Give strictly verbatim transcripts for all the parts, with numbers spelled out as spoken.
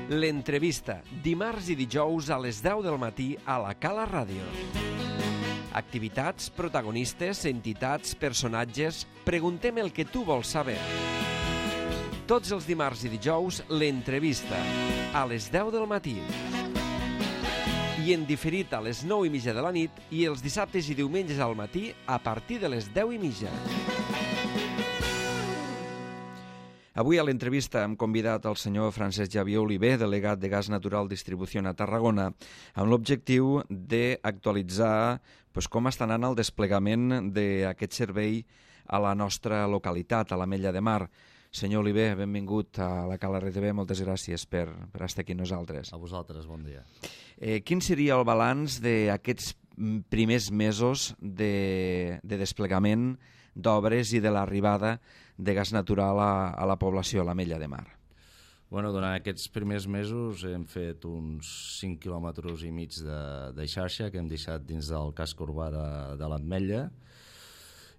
L'entrevista, dimarts i dijous a les deu del matí a la Cala Ràdio. Activitats, protagonistes, entitats, personatges... Preguntem el que tu vols saber. Tots els dimarts i dijous, l'entrevista, a les deu del matí. I en diferit a les nou i mitja de la nit i els dissabtes i diumenges al matí a partir de les deu i mitja. Avui a l'entrevista hem convidat el senyor Francesc Xavier Oliver, delegat de Gas Natural Distribució a Tarragona, amb l'objectiu d'actualitzar pues, com està anant el desplegament d'aquest servei a la nostra localitat, a l'Ametlla de Mar. Senyor Oliver, benvingut a la Cala R T V, moltes gràcies per, per estar aquí amb nosaltres. A vosaltres, bon dia. Eh, quin seria el balanç d'aquests primers mesos de, de desplegament d'obres i de l'arribada de gas natural a, a la població, a l'Ametlla de Mar? Bueno, durant aquests primers mesos hem fet uns cinc quilòmetres i mig de, de xarxa que hem deixat dins del casc urbà de, de l'Ametlla.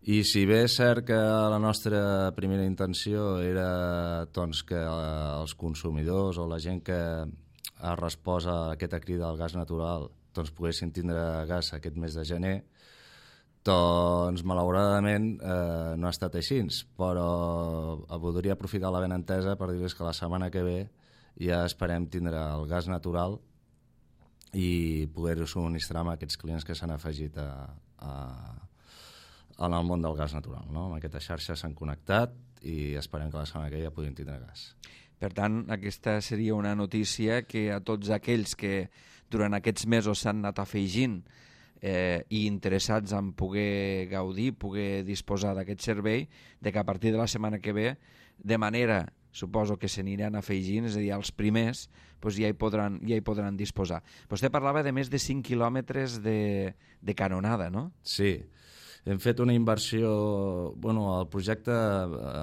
I si bé és cert que la nostra primera intenció era doncs, que els consumidors o la gent que ha respost a aquesta crida al gas natural doncs, poguessin tindre gas aquest mes de gener, doncs malauradament eh, no ha estat així, però voldria aprofitar la benentesa per dir-vos que la setmana que ve ja esperem tindre el gas natural i poder-ho subministrar amb aquests clients que s'han afegit a, a, en el món del gas natural. No? Amb aquesta xarxa s'han connectat i esperem que la setmana que ve ja puguin tindre gas. Per tant, aquesta seria una notícia que a tots aquells que durant aquests mesos s'han anat afegint eh, i interessats en poder gaudir, poder disposar d'aquest servei, de que a partir de la setmana que ve, de manera, suposo que se n'aniran afegint, és a dir, els primers, doncs ja, hi podran, ja hi podran disposar. Vostè parlava de més de cinc quilòmetres de, de canonada, no? Sí. Hem fet una inversió... Bueno, el projecte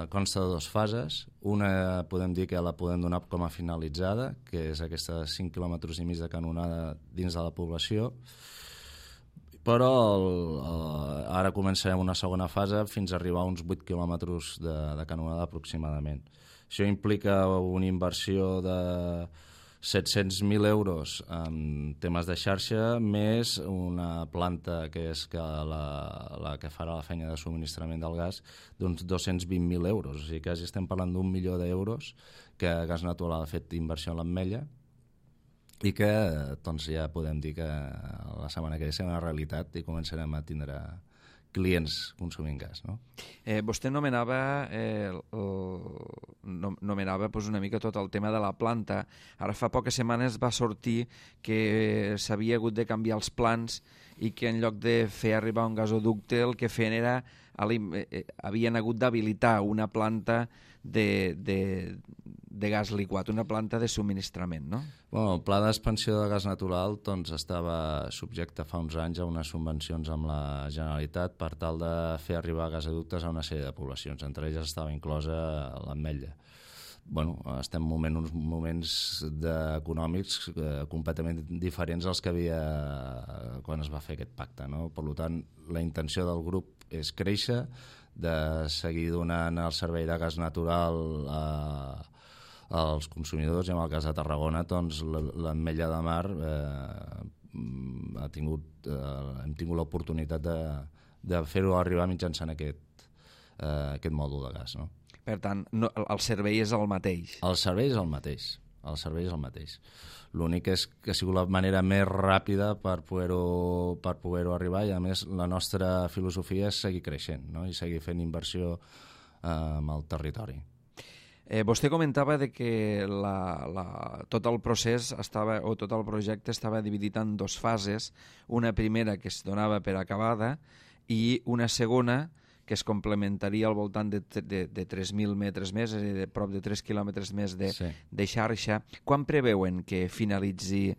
consta de dues fases. Una podem dir que la podem donar com a finalitzada, que és aquesta cinc quilòmetres i mig de canonada dins de la població. Però el, el, ara començarem una segona fase fins a arribar a uns vuit quilòmetres de, de canonada aproximadament. Això implica una inversió de set-cents mil euros en temes de xarxa, més una planta que és que la, la que farà la feina de subministrament del gas, d'uns dos-cents vint mil euros. O sigui, quasi estem parlant d'un milió d'euros que Gas Natural ha fet inversió en l'Ametlla i que doncs, ja podem dir que la setmana que ve serà una realitat i començarem a tindre clients consumint gas. No? Eh, vostè nomenava, eh, el, nomenava pues, una mica tot el tema de la planta. Ara fa poques setmanes va sortir que s'havia hagut de canviar els plans i que en lloc de fer arribar un gasoducte el que feien era, eh, havien hagut d'habilitar una planta de, de, de gas liquat, una planta de subministrament, no? Bueno, el pla d'expansió de gas natural doncs, estava subjecte fa uns anys a unes subvencions amb la Generalitat per tal de fer arribar gasoductes a una sèrie de poblacions, entre elles estava inclosa l'Ametlla. Bueno, estem en uns moments econòmics eh, completament diferents als que havia quan es va fer aquest pacte. No? Per tant, la intenció del grup és créixer, de seguir donant el servei de gas natural a, als consumidors, i amb el cas de Tarragona doncs, l'Ametlla de Mar eh, ha tingut, eh, hem tingut l'oportunitat de, de fer-ho arribar mitjançant aquest, eh, aquest mòdul de gas. No? Per tant, no, el servei és el mateix. El servei és el mateix. El servei és el mateix. L'únic és que ha sigut la manera més ràpida per poder-ho per poder-ho arribar, i a més la nostra filosofia és seguir creixent, no? I seguir fent inversió eh, amb el territori. Eh, vostè comentava de que la, la, tot el procés estava, o tot el projecte estava dividit en dues fases, una primera que es donava per acabada i una segona que es complementaria al voltant de, de, de tres mil metres més, és a dir, de prop de tres quilòmetres més de, sí. de xarxa. Quan preveuen que finalitzi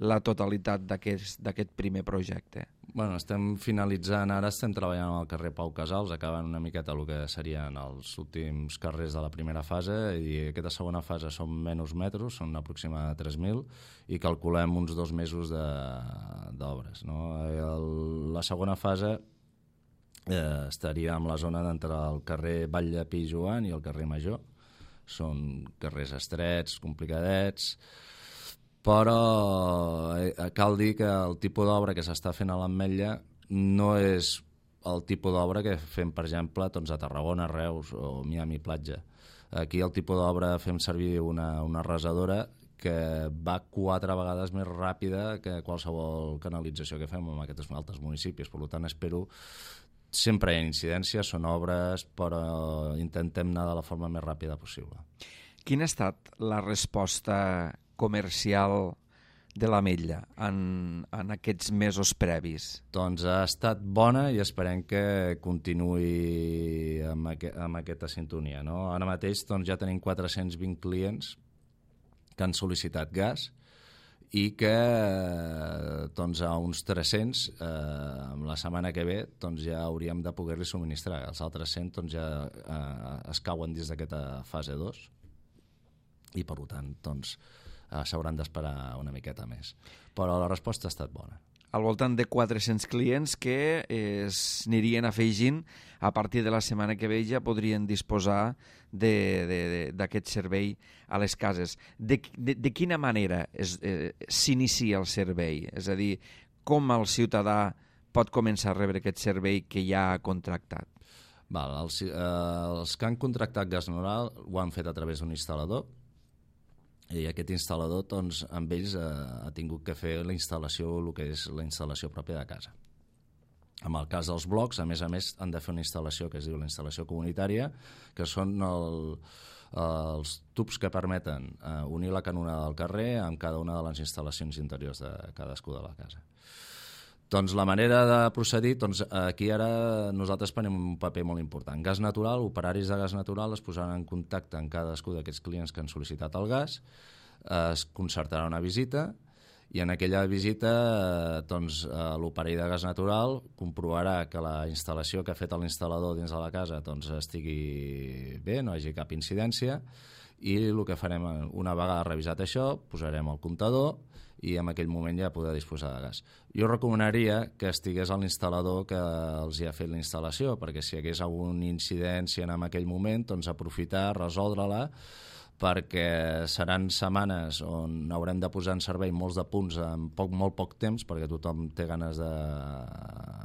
la totalitat d'aquest primer projecte? Bueno, estem finalitzant, ara estem treballant al carrer Pau Casals, acabant una miqueta el que serien els últims carrers de la primera fase, i aquesta segona fase són menys metres, són aproximadament tres mil, i calculem uns dos mesos d'obres. No? El, la segona fase eh, estaria en la zona d'entre el carrer Vall de Pi Joan i el carrer Major, són carrers estrets, complicadets, però eh, cal dir que el tipus d'obra que s'està fent a l'Ametlla no és el tipus d'obra que fem, per exemple, doncs, a Tarragona, Reus o Miami Platja. Aquí el tipus d'obra fem servir una, una arrasadora que va quatre vegades més ràpida que qualsevol canalització que fem en aquests altres municipis. Per tant, espero... Sempre hi ha incidències, són obres, però intentem anar de la forma més ràpida possible. Quina ha estat la resposta comercial de l'Ametlla en, en aquests mesos previs? Doncs ha estat bona i esperem que continuï amb, aqu amb aquesta sintonia, no? Ara mateix doncs, ja tenim quatre-cents vint clients que han sol·licitat gas i que doncs, a uns tres-cents eh, la setmana que ve doncs, ja hauríem de poder-li subministrar. Els altres cent doncs, ja eh, es cauen dins d'aquesta fase dos i per tant doncs, eh, s'hauran d'esperar una miqueta més. Però la resposta ha estat bona. Al voltant de quatre-cents clients que es anirien afegint a partir de la setmana que ve ja podrien disposar d'aquest servei a les cases. De, de, de quina manera eh, s'inicia el servei? És a dir, com el ciutadà pot començar a rebre aquest servei que ja ha contractat? Val, els, eh, els que han contractat gas natural ho han fet a través d'un instal·lador, i aquest instal·lador, doncs, amb ells eh, ha tingut que fer la instal·lació, el que és la instal·lació pròpia de casa. En el cas dels blocs, a més a més, han de fer una instal·lació que es diu la instal·lació comunitària, que són el, els tubs que permeten eh, unir la canonada del carrer amb cada una de les instal·lacions interiors de cadascú de la casa. Doncs la manera de procedir, doncs aquí ara nosaltres prenem un paper molt important. Gas natural, operaris de gas natural es posaran en contacte amb cadascú d'aquests clients que han sol·licitat el gas, es concertarà una visita i en aquella visita doncs, l'operari de gas natural comprovarà que la instal·lació que ha fet l'instal·lador dins de la casa doncs, estigui bé, no hi hagi cap incidència, i el que farem, una vegada revisat això, posarem el comptador i en aquell moment ja poder disposar de gas. Jo recomanaria que estigués a l'instal·lador que els hi ha fet la instal·lació, perquè si hi hagués alguna incidència en aquell moment, doncs aprofitar, resoldre-la, perquè seran setmanes on haurem de posar en servei molts de punts en poc, molt poc temps, perquè tothom té ganes de,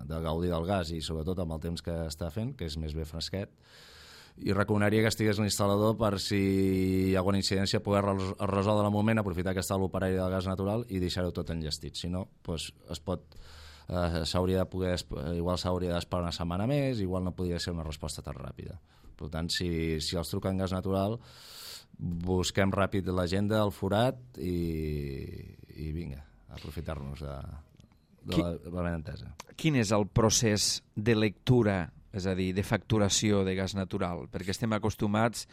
de gaudir del gas i sobretot amb el temps que està fent, que és més bé fresquet. I recomanaria que estigués l'instal·lador per si hi ha alguna incidència poder resoldre al moment, aprofitar que està l'operari del gas natural i deixar-ho tot enllestit. Si no, doncs es pot, eh, s'hauria de poder, igual s'hauria d'esperar una setmana més, igual no podria ser una resposta tan ràpida. Per tant, si, si els truquen gas natural, busquem ràpid l'agenda, el forat i, i vinga, aprofitar-nos de, de la, la benentesa. Quin és el procés de lectura, és a dir, de facturació de gas natural? Perquè estem acostumats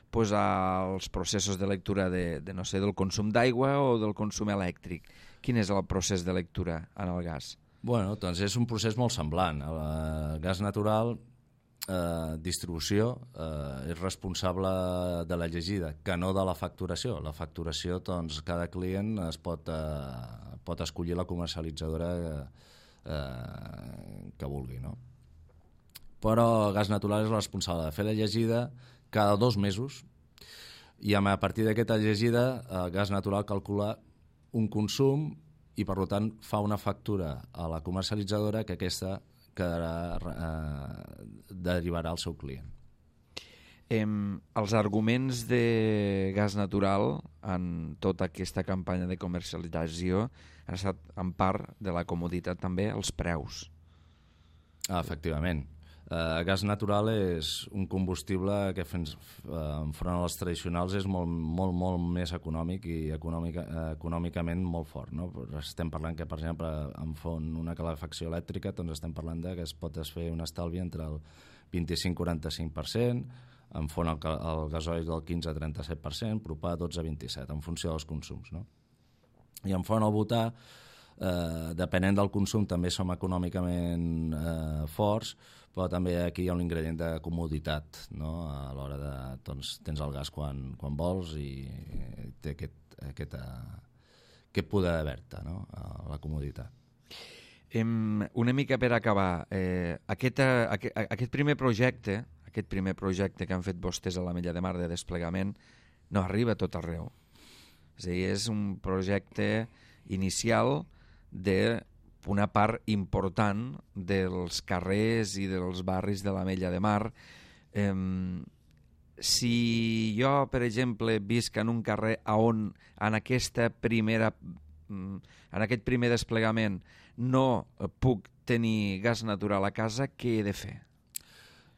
pues, als processos de lectura de, de, no sé, del consum d'aigua o del consum elèctric. Quin és el procés de lectura en el gas? Bueno, doncs és un procés molt semblant. El gas natural, eh, distribució, eh, és responsable de la llegida, que no de la facturació. La facturació, doncs, cada client es pot, eh, pot escollir la comercialitzadora eh, que vulgui, no? Però Gas Natural és el responsable de fer la llegida cada dos mesos i a partir d'aquesta llegida Gas Natural calcula un consum i per tant fa una factura a la comercialitzadora que aquesta quedarà, eh, derivarà al seu client. Eh, els arguments de Gas Natural en tota aquesta campanya de comercialització han estat en part de la comoditat també els preus. Ah, efectivament. Uh, gas natural és un combustible que fent, uh, enfront als tradicionals és molt, molt, molt més econòmic i econòmica, uh, econòmicament molt fort, no? Estem parlant que, per exemple, en font una calefacció elèctrica doncs estem parlant de que es pot fer un estalvi entre el vint-i-cinc a quaranta-cinc per cent, en font el, el gasoil del quinze a trenta-set per cent, propà dotze a vint-i-set, en funció dels consums, no? I en font el butà, eh, depenent del consum, també som econòmicament eh, forts, però també aquí hi ha un ingredient de comoditat, no? A l'hora de, doncs, tens el gas quan, quan vols i té aquest, aquest, aquest poder d'haver-te, no? La comoditat. Em, una mica per acabar, eh, aquest, aquest, aquest primer projecte, aquest primer projecte que han fet vostès a l'Ametlla de Mar de desplegament, no arriba a tot arreu. És a dir, és un projecte inicial d'una part important dels carrers i dels barris de l'Ametlla de Mar. Eh, si jo, per exemple, visc en un carrer on en aquesta primera en aquest primer desplegament no puc tenir gas natural a casa, què he de fer?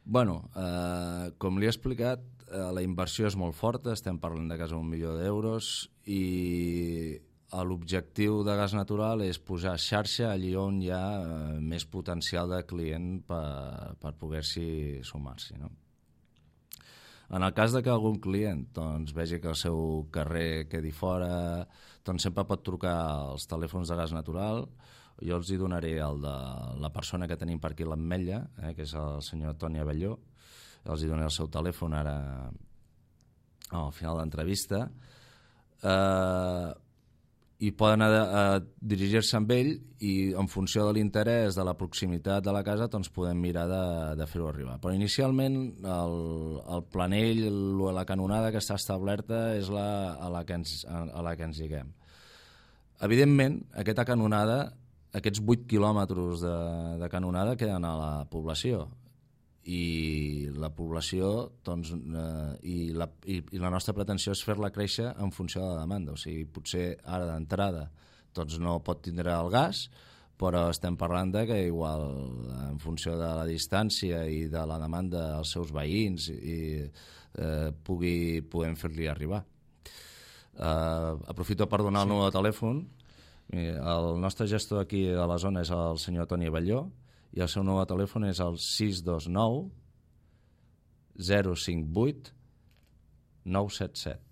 Bueno, eh, com li he explicat, eh, la inversió és molt forta, estem parlant de quasi un milió d'euros, i l'objectiu de gas natural és posar xarxa allí on hi ha eh, més potencial de client per, per poder-s'hi sumar-s'hi, no? En el cas de que algun client doncs, vegi que el seu carrer quedi fora, doncs sempre pot trucar als telèfons de gas natural. Jo els hi donaré el de la persona que tenim per aquí a l'Ametlla, eh, que és el senyor Toni Abelló. Els hi donaré el seu telèfon ara al final de l'entrevista. Eh, i poden a, a dirigir-se amb ell i en funció de l'interès, de la proximitat de la casa, doncs podem mirar de, de fer-ho arribar. Però inicialment el, el planell, la canonada que està establerta és la, a, la que ens, a, a la que ens lliguem. Evidentment, aquesta canonada, aquests vuit quilòmetres de, de canonada queden a la població, i la població doncs, eh, i, la, i, i la nostra pretensió és fer-la créixer en funció de la demanda. O sigui, potser ara d'entrada doncs no pot tindre el gas, però estem parlant de que igual en funció de la distància i de la demanda dels seus veïns i, eh, pugui, puguem fer-li arribar. Eh, aprofito per donar el número de telèfon. El nostre gestor aquí a la zona és el senyor Toni Abelló, i el seu nou telèfon és el sis dos nou zero cinc vuit nou set set.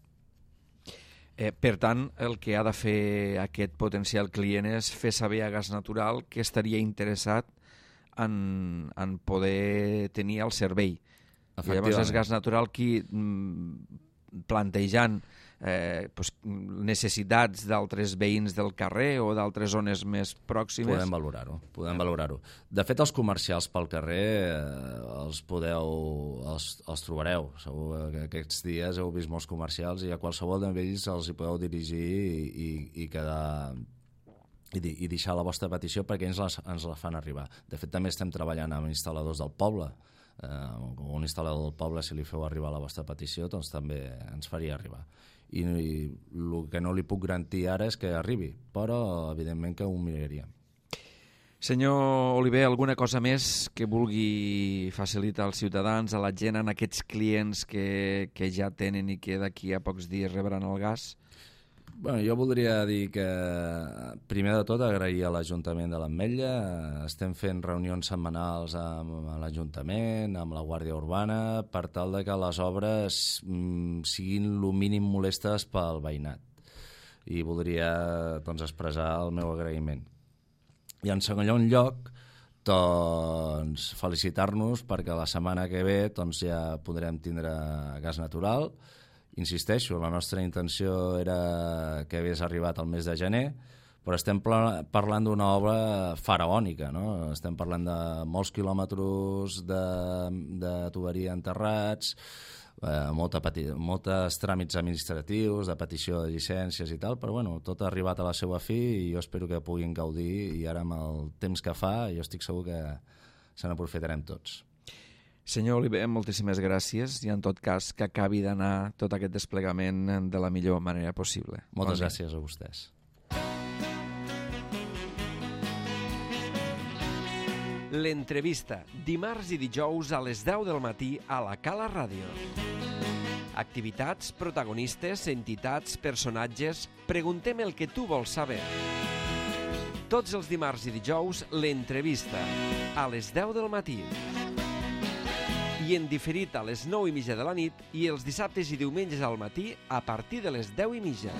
Eh, per tant, el que ha de fer aquest potencial client és fer saber a Gas Natural que estaria interessat en, en poder tenir el servei. Llavors és Gas Natural qui, plantejant eh, pues, necessitats d'altres veïns del carrer o d'altres zones més pròximes... Podem valorar-ho, podem valorar-ho. De fet, els comercials pel carrer eh, els podeu, els, els trobareu. Segur que aquests dies heu vist molts comercials i a qualsevol d'ells els hi podeu dirigir i, i, i quedar... I, i deixar la vostra petició perquè ens la, ens la fan arribar. De fet, també estem treballant amb instal·ladors del poble. Eh, un instal·lador del poble, si li feu arribar la vostra petició, doncs també ens faria arribar. I, i el que no li puc garantir ara és que arribi, però evidentment que ho miraríem. Senyor Oliver, alguna cosa més que vulgui facilitar als ciutadans, a la gent, en aquests clients que, que ja tenen i que d'aquí a pocs dies rebran el gas? Bueno, jo voldria dir que, primer de tot, agrair a l'Ajuntament de l'Ametlla. Estem fent reunions setmanals amb l'Ajuntament, amb la Guàrdia Urbana, per tal de que les obres mm, siguin el mínim molestes pel veïnat. I voldria doncs, expressar el meu agraïment. I en segon lloc, doncs, felicitar-nos perquè la setmana que ve doncs, ja podrem tindre gas natural. Insisteixo, la nostra intenció era que hagués arribat al mes de gener, però estem parlant d'una obra faraònica, no? Estem parlant de molts quilòmetres de, de tuberia enterrats, eh, molta peti, moltes tràmits administratius, de petició de llicències i tal, però bueno, tot ha arribat a la seva fi i jo espero que puguin gaudir, i ara amb el temps que fa jo estic segur que se n'aprofitarem tots. Senyor Oliver, moltíssimes gràcies i en tot cas que acabi d'anar tot aquest desplegament de la millor manera possible. Moltes bon gràcies a vostès. L'entrevista, dimarts i dijous a les deu del matí a la Cala Ràdio. Activitats, protagonistes, entitats, personatges... Preguntem el que tu vols saber. Tots els dimarts i dijous, l'entrevista, a les deu del matí. I en diferit a les nou i mitja de la nit i els dissabtes i diumenges al matí a partir de les deu i mitja.